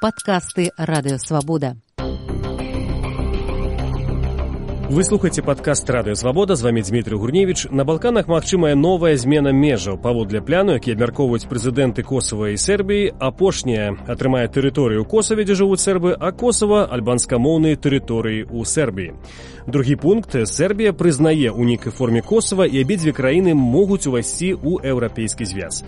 Падкасты Радыё Свабода. Вы слухаеце падкаст Радыё Свабода, з вамі Дмітрый Гурневіч. На Балканах магчымая новая змена межаў. Паводле пляну, які абмяркоўваюць прэзідэнты Косава і Сербіі, апошняя атрымае тэрыторыю ў Косаве, дзе жывуць сербы, а Косава – альбанскамоўныя тэрыторыі ў Сербіі. Другі пункт – Сербія прызнае ў нейкай форме Косава, і абедзве краіны могуць увайсці ў еўрапейскі звяз.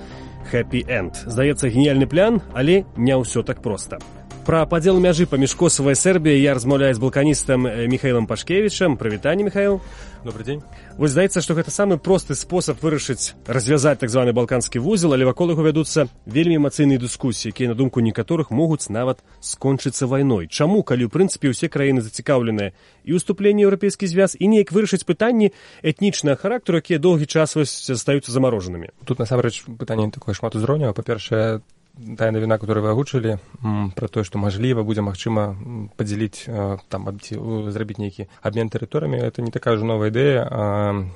Happy End. Здаецца, геніяльны план, але не ўсё так проста. Пра падзел мяжы паміж Косава і Сербіяй я размаўляю з балканістам Михаилом Пашкевічам. Прывітанне, Михаил. Добрый дзень. Вось здаецца, што гэта самы просты спосаб вырашыць, развязаць так званы балканскі вузел, але вакол яго вядуцца вельмі эмацыйныя дыскусіі, якія, на думку некаторых, могуць нават скончыцца вайной. Чаму, калі ў прынцыпе ўсе краіны зацікаўленыя і ўступленне ў еўрапейскі звяз, і неяк вырашыць пытанні этнічнага характару, якія доўгі час застаюцца замарожанымі? Тут насамрэч пытанне такое шматузроўневае. Па-першае, тая навіна, которую вы агучылі, пра тое, што мажліва будзе магчыма падзяліць, зрабіць нейкі абмен тэрыторыямі, это не такая ўжо новая ідэя.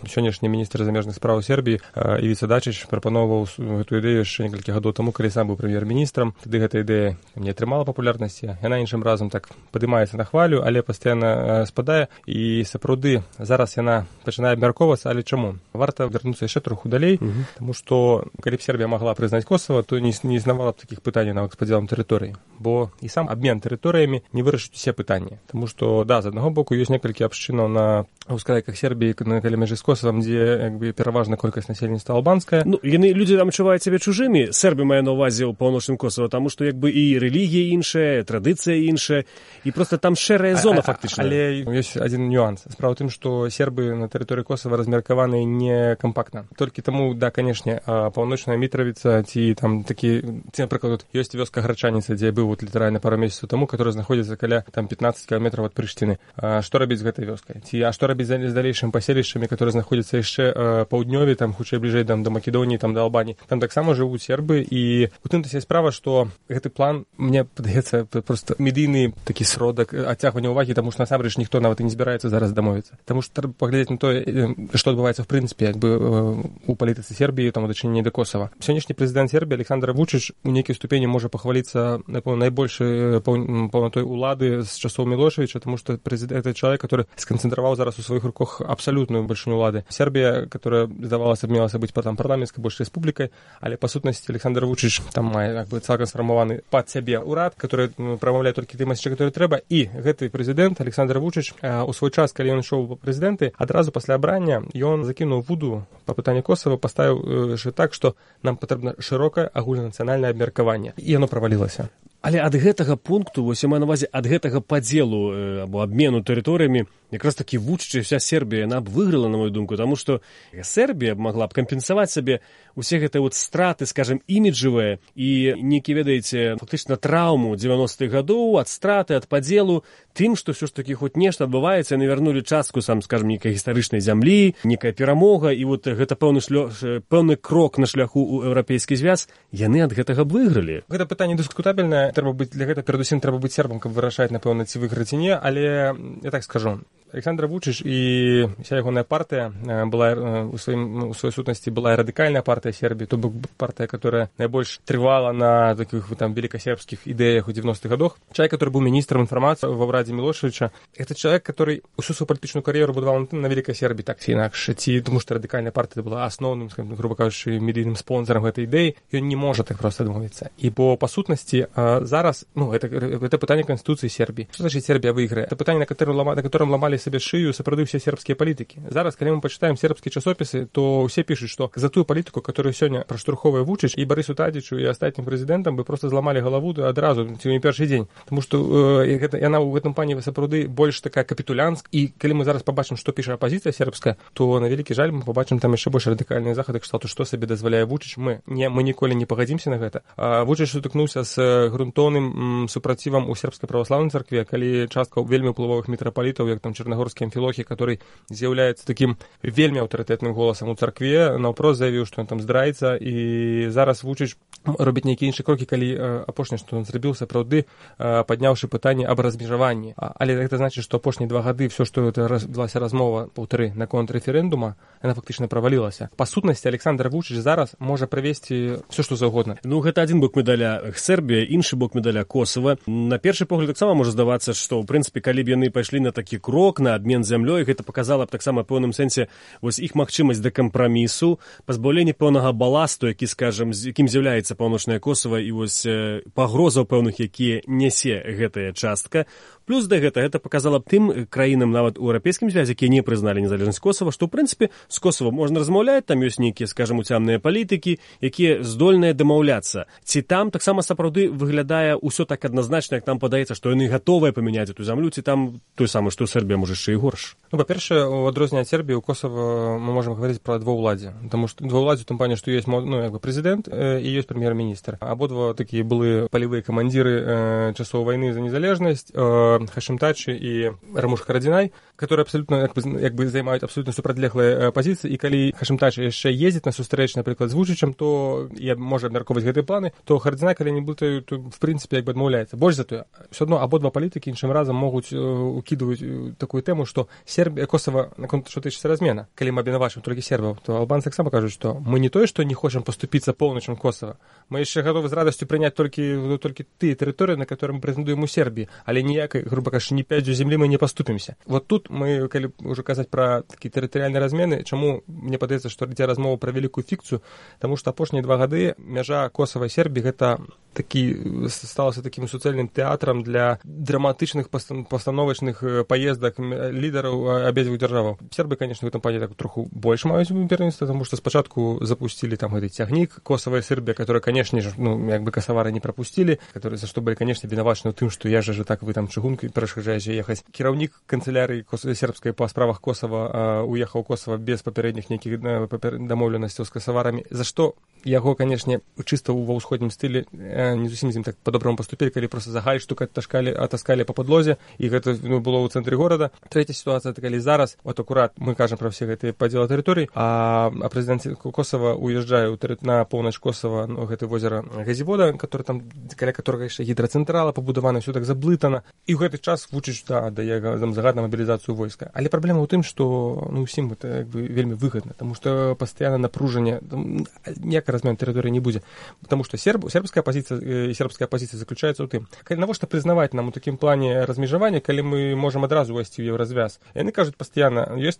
Сённяшні міністр замежных спраў Сербіі Івіца Дачыч прапаноўваў гэту ідэю яшчэ некалькі гадоў таму, калі сам быў прэм'ер-міністрам. Тады гэта ідэя не атрымала папулярнасці. Яна іншым разам так падымаецца на хвалю, але пастаянна спадае. І сапраўды зараз яна пачынае абмяркоўвацца, але чаму? Варта вярнуцца яшчэ троху далей, таму што калі б Сербія магла прызнаць Косава, то не існавала таких пытаний нават з падзелам тэрыторыі, бо і сам абмен тэрыторыямі не вырашыць усе пытанні. Таму што, да, з аднаго боку ёсць некалькі абшчынаў на ўскрайках Сербіі, на каля мяжы з Косавам, дзе пераважна колькасць насельніцтва албанская. Людзі там адчуваюць сябе чужымі. Сербі мае на ўвазе ў паўночным Косава, таму што і рэлігія іншая, традыцыя іншая, і проста там шэрая зона фактычна. Але ёсць адзін нюанс. Справа ў тым, што сербы на тэрыторыі Косава размеркаваны не кампактна. Толькі таму, да, канешне, паўночная Мітравіца ці там такі, напрыклад, ёсць вёска Грачаніца, дзе я быў літаральна пару месяцаў таму, которая знаходзіцца каля 15 кіламетраў ад Прыштыны. Што рабіць з гэтай вёскай? Што рабіць з далейшым паселішчамі, которые знаходзяцца яшчэ паўднёве, там хутчэй бліжэй да Македоніі, там да Албаніі. Там таксама жывуць сербы, і у тым-то ся справа, што гэты план, мне падаецца, проста медыйны такі сродак адцягвання ўвагі, таму што насамрэч ніхто нават і не збіраецца зараз дамовіцца. Таму што трэба паглядзець на тое, што адбываецца в прынцыпе у палітыцы Сербіі, там у дачыненні да Косава. Сённяшні прэзідэнт Сербіі Александр Вучыч у нейкай ступені можа пахваліцца, напэўна, найбольшай паўнатой улады з часоў Мілошевіча, таму што прэзідэнт — это чалавек, который сканцэнтраваў зараз у сваіх руках абсалютную бальшыню улады. Сербія, которая, здавалася б, мелася быць парламенцкай больш рэспублікай, але па сутнасці Александр Вучыч там мае цалкам сфармаваны пад сябе ўрад, который прамаўляе толькі тыя месцы, которые трэба. І гэты прэзідэнт Александр Вучыч у свой час, калі ён ішоў у прэзідэнты, адразу пасля абрання ён закінуў вуду па пытанні Косава, паставіў так, што нам патрэбна шырокае агульнанацыянальнае абмеркаванне. І яно правалілася. Але ад гэтага пункту, вось я маю на ўвазе, ад гэтага падзелу або абмену тэрыторыямі, якраз такі Вучыч і вся Сербія, яна б выйграла, на мою думку, таму што Сербія магла б кампенсаваць сабе усе гэтыя страты, скажем, іміджавыя і нейкі, ведаеце, фактычна траўму 90-х гадоў ад страты, ад падзелу, тым, што ўсё ж такі хоць нешта адбываецца, яны вярнулі частку, скажем, нейкай гістарычнай зямлі, нейкая перамога, і гэта пэўны крок на шляху ў еўрапейскі звяз, яны ад гэтага б выйгралі. Гэта пытанне дыскутабельнае. Трэба быць для гэта, перадусім, трэба быць сербам, каб вырашаць, напэўна, ці выйграць ці не, але я так скажу. Александр Вучыч і вся ягоная партыя была у сваёй сутнасці была радыкальная партыя Сербіі, то бок партыя, которая найбольш трывала на таких там великосербских ідэях у 90-х годах. Чалавек, который быў міністрам інфармацыі ва ўрадзе Мілошевіча, это чалавек, который усю свою палітычную кар'еру будаваў на Великай Сербіі, так ці інакш, ці тому што радыкальная партыя была асноўным, грубо кажучы, медыйным спонсорам гэтай ідэі, ён не можа так проста адмовіцца. І бо па сутнасці зараз, это пытанне Конституцыі Сербіі. Што значыць Сербія выйграе? Это пытанне, на которым ламалі сабе шыю сапраўды ўсе сербскія палітыкі. Зараз, калі мы пачытаем сербскія часопісы, то ўсе пішуць, што за тую палітыку, которую сёння праштурхоўвае Вучыч і Барысу Тадзічу і астатнім прэзідэнтам, бы проста зламалі галаву адразу, ці не першы дзень. Таму што яна ў гэтым плане сапраўды больш такая капітулянская. І калі мы зараз пабачым, што піша апазіцыя сербская, то на вялікі жаль мы пабачым там яшчэ больш радыкальныя захады кшталту, што сабе дазваляе Вучыч. Мы ніколі не пагадзімся на гэта. Вучыч сутыкнуўся з грунтоўным супрацівам у сербскай праваслаўнай царкве, калі частка вельмі ўплывовых мітрапалітаў, як там чарнагорскі амфілохі, который з'яўляецца такім вельмі аўтарытэтным голасам у царкве, наўпрост заявіў, што ён там здраіцца, і зараз Вучыч робіць нейкія іншыя крокі, калі апошняе, што ён зрабіў, сапраўды падняўшы пытанне аб размежаванні. Але гэта значыць, што апошнія 2 гады все, што адбылася размова, паўтары, наконт рэферэндума, яна фактычна правалілася. Па сутнасці, Александр Вучыч зараз можа правесці все, што заўгодна. Ну, гэта адзін бок медаля Сербія, іншы бок медаля Косова. На першы погляд таксама можа здавацца, што, ў прынцыпе, калі б яны пайшлі на такі крок, на абмен зямлёй, гэта паказала б таксама ў пэўным сэнсе вось іх магчымасць да кампрамісу, пазбаўлення пэўнага баласту, які, скажам, якім з'яўляецца паўночнае Косова, і вось пагрозаў пэўных, якія нясе гэтая частка. Плюс да гэта паказала б тым краінам, нават у еўрапейскім звязе, якія не прызналі незалежнасць Косова, што, ў прынцыпе, з Косова можна размаўляць, там ёсць нейкія, скажам, уцямныя палітыкі, якія здольныя дамаўляцца. Ці там таксама сапраўды выглядае ўсё так адназначна, як нам падаецца, што яны гатовыя памяняць эту зямлю, ці там той самы, што Сербія, можа, яшчэ і горш? Ну, па-першае, у адрозненне ад Сербіі, у Косова мы можам гаварыць пра двоўладзе, таму што двоўладзе ў тым плане, што ёсць, ну, як бы прэзідэнт і ёсць прэм'ер-міністр. Абодва такія былі палевыя камандзіры часоў вайны за незалежнасць, Хашим Тачи і Рамуш Харадзінай, которые абсолютно як бы займаюць абсолютно супрацьлеглыя пазіцыі, і калі Хашим Тачи яшчэ ездзіць на сустрэч, напрыклад, з Вучычам, то можа абмяркоўваць гэтыя планы, то Харадзінай, калі не блытаю, то в прынцыпе як бы адмаўляецца. Больш за тое, все адно абодва палітыкі іншым разам могуць укідваць такую тэму, што Сербія, Косова, наконт што тычыцца размена. Калі мы абвінавачваем толькі сербаў, то албанцы таксама кажуць, што мы не тое, што не хочам паступіцца поўначам Косова, мы яшчэ гатовы з радасцю прыняць толькі тыя тэрыторыі, на которые мы прэзентуем у Сербіі, але ніякай, грубо кажучы, ні пядзю зямлі мы не паступімся. Вот тут мы, калі ўжо казаць пра такі тэрытарыяльныя размены, чаму мне падаецца, што ідзе размова пра вялікую фікцыю, таму што апошнія 2 гады мяжа Косова і Сербіі гэта сталася такім суцэльным тэатрам для драматычных пастановачных паездак лідараў абедзвюх дзяржаваў. Сербы, конечно, в этом плане так троху больш маюць пераніцтва, таму што спачатку запусцілі там гэты цягнік Косова і Сербія, который, конечно же, ну, як бы касавары не пропустили, которые за што былі, конечно, вінавачаны ў тым, што я же так вы там чыгункай перашкаджаеце ехаць. Кіраўнік канцылярыі сербскай па справах Косова уехаў Косова без папярэдніх нейкіх дамоўленасцяў з касаварамі, за што яго, конечно, чыста ва ўсходнім стылі не зусім з ім так по-добраму паступілі, калі просто за гальштук атаскалі па падлозе, і гэта было ў цэнтры горада. Трэця сітуацыя, калі зараз, вот акурат мы кажам пра ўсе гэтыя падзелы тэрыторый, а прэзідэнт Косова уязджае на поўнач Косова, гэта возера Газівода, который там, каля которага яшчэ гідрацэнтрала пабудавана, ўсё так заблытана, і ў гэты час Вучыч дае загад на мабілізацыю войска. Але праблема ў тым, што усім гэта як бы вельмі выгадна, таму што пастаянна напружанне, ніякай размен тэрыторыі не будзе, таму што сербская пазіцыя і сербская пазіцыя заключаецца ў тым, навошта прызнаваць нам у такім плане размежавання, калі мы можам адразу увайсці ў еўразвяз. Яны кажуць пастаянна, ёсць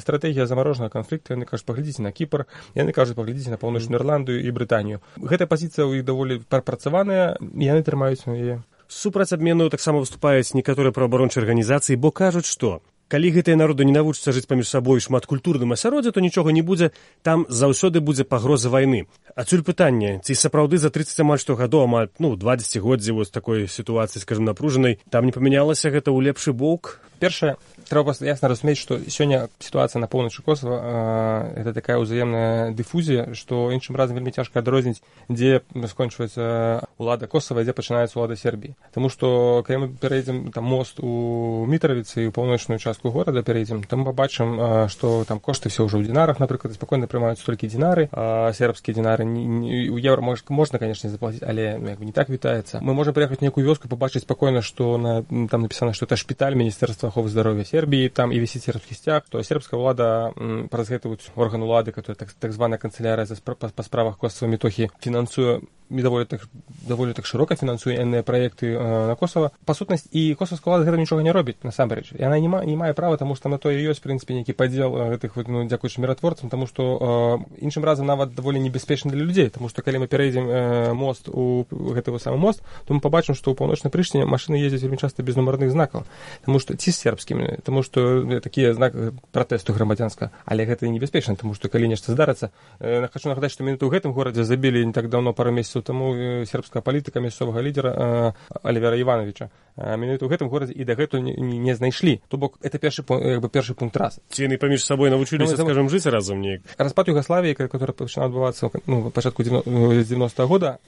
стратэгія замарожанага канфлікту, яны кажуць, паглядзіце на Кіпр, яны кажуць, паглядзіце на паўночную Ірландыю і Брытанію. Гэтая пазіцыя ў іх даволі прапрацаваная, і яны трымаюць яе. Супраць абмену таксама выступаюць некаторыя праабарончыя арганізацыі, бо кажуць, што калі гэтыя народы не навучацца жыць паміж сабой шматкультурным асяроддзе, то нічога не будзе, там заўсёды будзе пагроза вайны. Адсюль пытанне, ці сапраўды за 30 амаль што гадоў, амаль 20 годдзі вось такой сітуацыі, скажем, напружанай, там не памянялася гэта ў лепшы бок? Першае, трэба ясна разумець, што сёння сітуацыя на поўначы Косова это такая ўзаемная дыфузія, што іншым разам вельмі цяжка адрозніць, дзе скончваецца ўлада Косова, дзе пачынаецца ўлада Сербіі. Таму што калі мы пераедзем там мост у Мітравіцы і ў паўночную частку горада пераедзем, там мы пабачым, што там кошты все ўжо ў динарах, напрыклад, спакойна прымаюць толькі динары, сербскія динары у еўра можна, конечно, заплаціць, але як бы не так вітаецца. Мы можам прыехаць в нейкую вёску, пабачыць спакойна, што там напісана, што это шпіталь Міністэрства аховы здароўя Сербіі, там і вісіць сербскі сцяг, то сербская ўлада праз гэты орган улады, который так званая канцылярыя па справах Косова Метохі фінансуе даволі так шырока фінансуе энныя праекты на Косова. Па сутнасці, і косовская ўлада гэта нічога не робіць насамрэч. Яна не мае права, таму што на то і ёсць, в прынцыпе, нейкі падзел гэтых дзякуючы міратворцам, таму што іншым разам нават даволі небяспечна для людзей, таму што калі мы пераедзем мост у гэты самы мост, то мы пабачым, што ў паўночнай Прыштыне машыны ездзяць вельмі часта без нумарных знакаў, таму што ці з сербскімі, таму што такія знак пратэсту грамадзянска, але гэта небяспечна, таму што калі нешта здарыцца, хачу нагадаць, што менавіта ў гэтым горадзе забілі не так даўно, пару месяцаў таму сербская палітыка мясцовага лідера Алівера Івановича. Менавіта ў гэтым горадзе і дагэтуль не знайшлі. То бок это першы пункт раз. Ці яны паміж сабой навучыліся, скажем, жыць разам неяк? Распад Югаславіі, который пачынаў адбывацца ў пачатку 90-го года,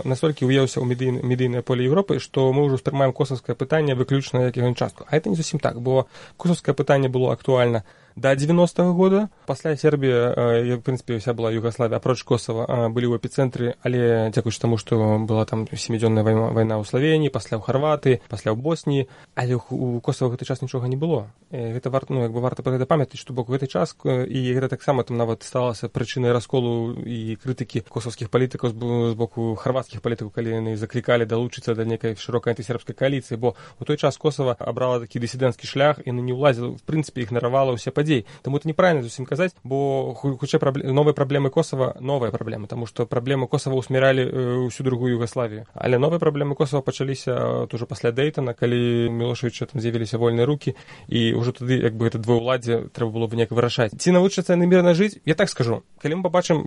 настолькі уеўся ў медыйнае поле Европы, што мы ўжо ўспрымаем косавскае пытанне выключна як яго частку. А это не зусім так, бо Косовскае пытанне было актуальна до 90-го года. Пасля Сербія, в прынцыпе, вся была Югославія, апроч Косова, былі ў эпіцэнтры, але дзякуючы таму, што была там 7-дзённая вайна ў Славенії, пасля ў Харватыі, пасля ў Босніі, але у Косова гэты час нічога не было. Гэта варта пра гэта памятаць, што бок гэты час, і гэта таксама там нават сталася прычынай расколу і крытыкі косовскіх палітыкаў з боку харватскіх палітыкаў, калі яны заклікалі далучыцца да нейкай шырокай антысербскай кааліцыі, бо у той час Косова абрала такі дысідэнцкі шлях і не ўлазіла, в прынцыпе, ігнаравала ўсе падзеі. Таму это неправильно зусім казаць, бо хутчэй новыя праблемы Косова, новыя праблемы, таму што праблемы Косова ўсміралі ўсю другую Югославію. Але новыя праблемы Косова пачаліся ўжо пасля Дэйтана, калі Мілошевіча там з'явіліся вольныя рукі, і ўжо тады як бы гэта двоўладдзе трэба было б неяк вырашаць. Ці навучацца яны мірна жыць? Я так скажу. Калі мы пабачым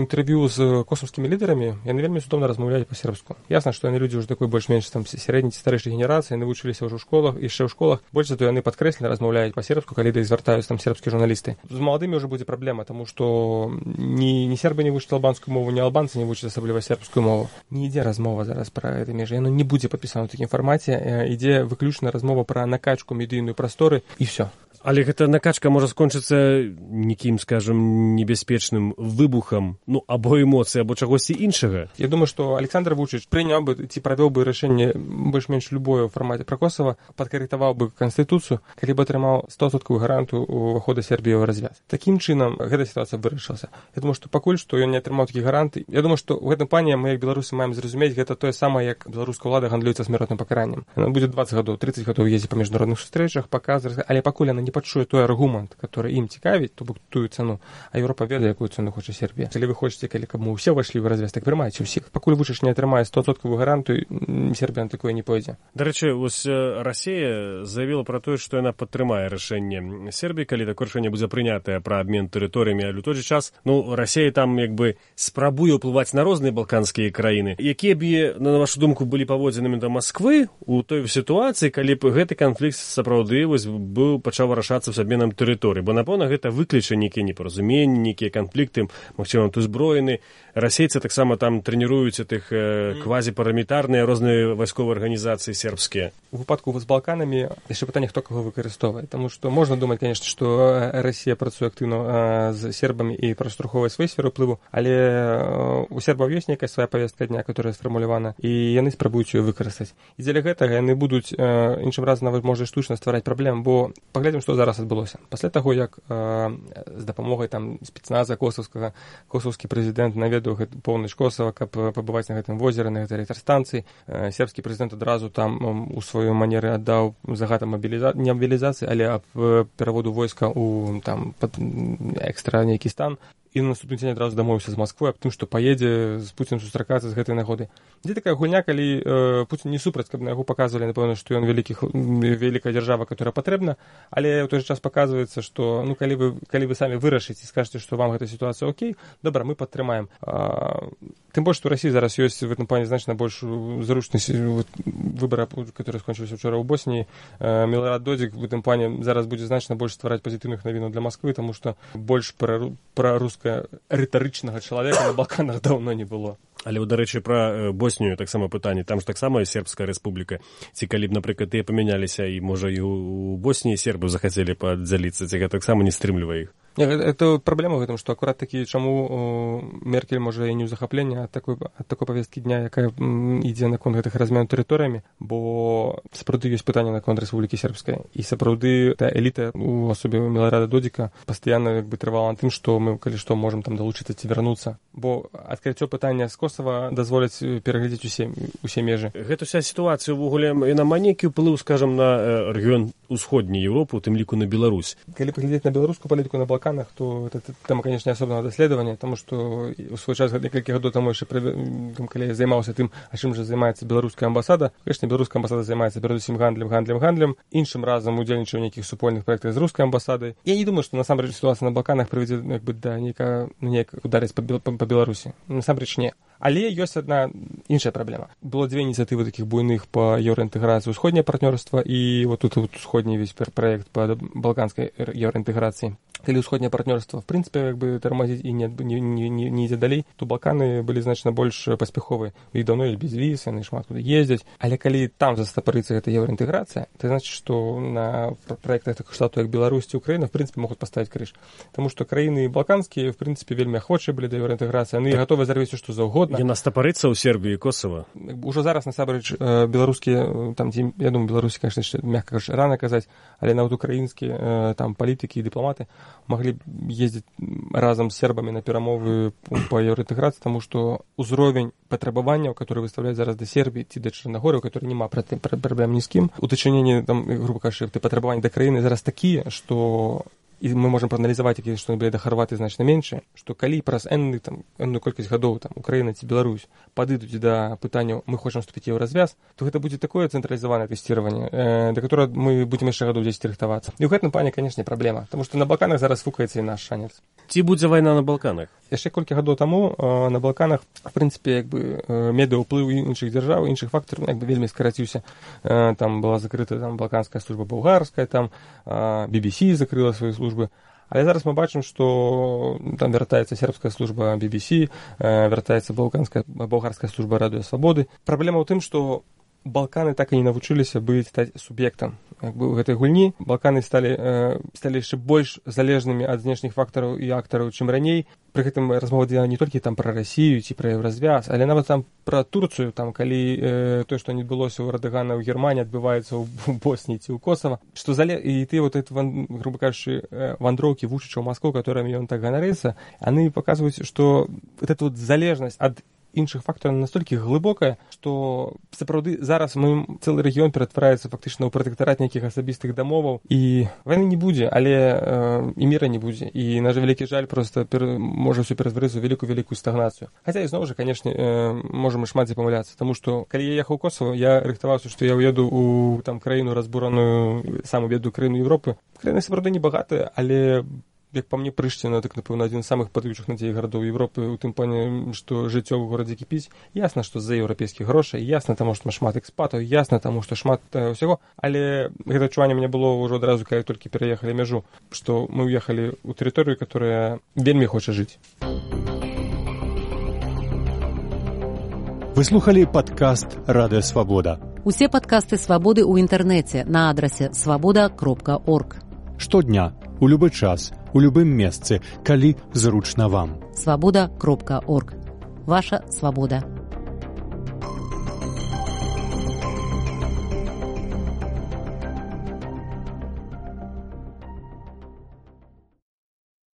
інтэрв'ю з косовскімі лідарамі, яны вельмі цудоўна размаўляюць па-сербску. Ясна, што яны людзі ўжо такой больш-менш там сярэдняй ці старэйшай генерацыі, яны вучыліся ўжо ў школах, яшчэ ў школах. Больш за то яны падкрэслена размаўляюць па-сербску, калі да іх звяртаюцца там сербскія журналісты. З маладымі ўжо будзе праблема, таму што ні сербы не вучаць албанскую мову, ні албанцы не вучаць асабліва сербскую мову. Не ідзе размова зараз пра гэты межы, яно не будзе падпісана ў такім фармаце, ідзе выключна размова пра накачку медыйную прасторы і ўсё. Але гэта накачка можа скончыцца нейкім, скажам, небяспечным выбухам, або эмоцый, або чагосьці іншага. Я думаю, што Александр Вучыч прыняў бы ці правёў бы рашэнне больш-менш любое ў фармаце пра Косова, падкарэктаваў бы канстытуцыю, калі б атрымаў 100% гарантыю ўвахода Сербіі ў развяз. Такім чынам гэта сітуацыя вырашылася. Я думаю, што пакуль што ён не атрымаў такі гаранты. Я думаю, што ў гэтым плане мы як беларусы маем зразумець, гэта тое самае, як беларуская ўлада гандлюецца смяротным пакараннем. Яна будзе 20 гадоў, 30 гадоў ездзіць па міжнародных сустрэчах, паказваць, але пакуль яна не пачуе той аргумент, который ім цікавіць, то бок тую цану, а Еўропа ведае, якую цану хоча Сербія. Калі вы хочаце, каб мы ўсе ўвайшлі ў развяз, так прымайце ўсіх. Пакуль Вучыч не атрымае 100% гарантыю, Сербія на такое не пойдзе. Дарэчы, вось Расія заявіла пра тое, што яна падтрымае рашэнне Сербіі, калі такое рашэнне будзе прынятае пра абмен тэрыторыямі, але ў той жа час, Расія там як бы спрабуе ўплываць на розныя балканскія краіны. Якія б, на вашу думку, былі паводзінамі да Масквы у той сітуацыі, калі б гэты канфлікт сапраўды пачаў вырашацца з абменам тэрыторыі, бо напэўна гэта выкліча нейкія непаразуменні, нейкія канфлікты, магчыма, тут узброены. Расейцы таксама там трэніруюць тых квазіпарамілітарныя розныя вайсковыя арганізацыі сербскія. У выпадку з Балканамі яшчэ пытанне, хто каго выкарыстоўвае, таму што можна думаць, конечно, што Расія працуе актыўна з сербамі і праштурхоўвае сваю сферу ўплыву, але у сербаў ёсць нейкая свая павестка дня, которая сфармулявана, і яны спрабуюць ее выкарыстаць. І дзеля гэтага яны будуць іншым разам нават можа штучна ствараць праблем, бо паглядзім, што зараз адбылося. Пасля таго, як з дапамогай там спецназа косаўскага косаўскі прэзідэнт наведаў поўнач Косава, каб пабываць на гэтым возеры, на гэтай электрастанцыі, сербскі прэзідэнт адразу там у сваёй манеры аддаў загад не мобілізацыі, але аб пераводу войска у там экстра нейкі стан. І на наступны дзень адразу дамовіўся з Масквой аб тым, што паедзе з Пуцінам сустракацца з гэтай нагоды. Дзе такая гульня, калі Пуцін не супраць, каб на яго паказвалі, напэўна, што ён вялікая дзяржава, которая патрэбна, але ў той жа час паказваецца, што калі вы самі вырашыце і скажаце, што вам гэта сітуацыя окей, добра, мы падтрымаем. Тым больш, што ў Расіі зараз ёсць в этом плане значна больш зручнасць выбара, который скончыўся учора ў Босніі. Міларад Додзік в этом плане зараз будзе значна больш ствараць пазітыўных навінаў для Масквы, таму што больш праруская рытарычнага чалавека на Балканах даўно не было. Але, дарэчы, пра Боснію таксама пытанне. Там ж таксама сербская рэспубліка. Ці калі б, напрыклад, тыя памяняліся, і, можа, і у Босніі сербы захацелі падзяліцца, ці гэта таксама не стрымлівае іх? Это праблема ў гэтым, што акурат такі, чаму Меркель можа і не ў захапленні ад такой павесткі дня, якая ідзе наконт гэтых разменаў тэрыторыямі, бо сапраўды ёсць пытанне наконт Рэспублікі Сербскай. І сапраўды та эліта у асобе Міларада Додзіка пастаянна трывала на тым, што мы, калі што, можам там далучыцца ці вярнуцца. Бо адкрыццё пытання з Косава дазволяць пераглядзець усе межы. Гэта ўся сітуацыя ўвогуле яна мае нейкі ўплыў, скажам, на рэгіён усходняй Еўропы, у тым ліку на Беларусь. Калі паглядзець на беларускую палітыку на Балканах, то это тэма, конечно, асобнага даследавання, таму што у свой час некалькі гадоў таму яшчэ калі я займаўся тым, а чым жа займаецца беларуская амбасада. Конечно, беларуская амбасада займаецца перадусім гандлем. Іншым разам удзельнічае ў нейкіх супольных праектах з рускай амбасадай. Я не думаю, што насамрэч сітуацыя на Балканах прывядзе да нейкага ударыць па Беларусі. Насамрэч не. Але ёсць адна іншая праблема. Было дзве ініцыятывы такіх буйных па еўраінтэграцыі, усходняе партнёрства і вот тут усходні весь праект па балканскай еўраінтэграцыі. калі ўсходняе партнёрства в прынцыпе як бы тармазіць і не ідзе далей, то Балканы былі значна больш паспяховыя. У іх даўно без віз, яны шмат куды ездзяць. Але калі там застапарыцца гэта еўраінтэграцыя, то значыць, што на праектах такіх штатаў як Беларусь ці Украіна в прынцыпе могуць паставіць крыж. Таму што краіны балканскія в прынцыпе вельмі ахвочыя былі да еўраінтэграцыі, яны гатовы зрабіць што заўгодна. Яна стапарыцца ў Сербіі і Косова. Ужо зараз насамрэч беларускія там, я думаю, беларусі, конечно, мягка кажучи, рано казаць, але нават украінскія там палітыкі і дыпламаты маглі ездзіць разам з сербамі на перамовы па еўраінтэграцыі, таму што ўзровень патрабаванняў, которые выставляюць зараз да Сербіі ці да Чарнагорыі, у которой няма праблем ні з кім, у дачыненні там, грубо кажучы, патрабаванні да краіны зараз такія, што і мы можам прааналізаваць, якія што былі да Харватыі значна меншыя, што калі праз энную колькасць гадоў там Украіна ці Беларусь падыдуць да пытанняў «мы хочам вступіць ў развяз», то гэта будзе такое цэнтралізаванае тэсціраванне, да которого мы будзем яшчэ гадоў 10 рыхтавацца. І ў гэтым плане, канешне, праблема, таму што на Балканах зараз фукаецца і наш шанец. Ці будзе вайна на Балканах? Яшчэ колькі гадоў таму на Балканах, в прынцыпе, як бы медыаўплыў іншых дзяржаў, іншых фактараў, як бы вельмі скараціўся. Там была закрыта там балканская служба балгарская, там BBC закрыла сваю службы. Але зараз мы бачым, што там вяртаецца сербская служба BBC, вяртаецца балгарская служба Радыё Свабоды. Праблема ў тым, што Балканы так і не навучыліся стаць суб'ектам як бы ў гэтай гульні. Балканы сталі яшчэ больш залежнымі ад знешніх фактараў і актараў, чым раней. Пры гэтым размова ідзе не толькі там пра Расію ці пра еўразвяз, але нават там пра Турцыю, там калі тое, што не адбылося ў Эрдагана ў Германіі, адбываецца ў Босніі ці ў Косава, што і ты вот это, грубо кажучы, вандроўкі Вучыча ў Маскву, которыми ён так ганарыцца, яны паказваюць, што вот эта вот залежнасць ад іншых фактараў настолькі глыбокая, што сапраўды зараз цэлы рэгіён ператвараецца фактычна ў пратэктарат нейкіх асабістых дамоваў, і вайны не будзе, але і міра не будзе. І наш вялікі жаль проста можа ўсё ператварыцца ў вялікую стагнацыю. Хаця і зноў жа, канешне, можам і шмат дзе памыляцца, таму што калі я ехаў у Косово, я рыхтаваўся, што я ўеду ў там краіну разбураную, самую бедную краіну Еўропы. Краіна сапраўды не багатая, але як па мне, Прышціна, так, напэўна, адзін з самых падаючых надзей гарадоў Еўропы, у тым плане, што жыццё ў горадзе кіпіць. Ясна, што з-за еўрапейскіх грошай, ясна таму, што шмат экспатаў, ясна таму, што шмат ўсяго, але гэта адчуванне мне было ўжо адразу, калі толькі пераехалі мяжу, што мы ўехалі ў тэрыторыю, которая вельмі хоча жыць. Вы слухалі падкаст «Радыё Свабода». Усе падкасты «Свабоды» ў інтэрнэце на адрасе свабода.орг. Штодня, у любы час, у любым месцы, калі зручна вам. Свабода.орг. Ваша свабода.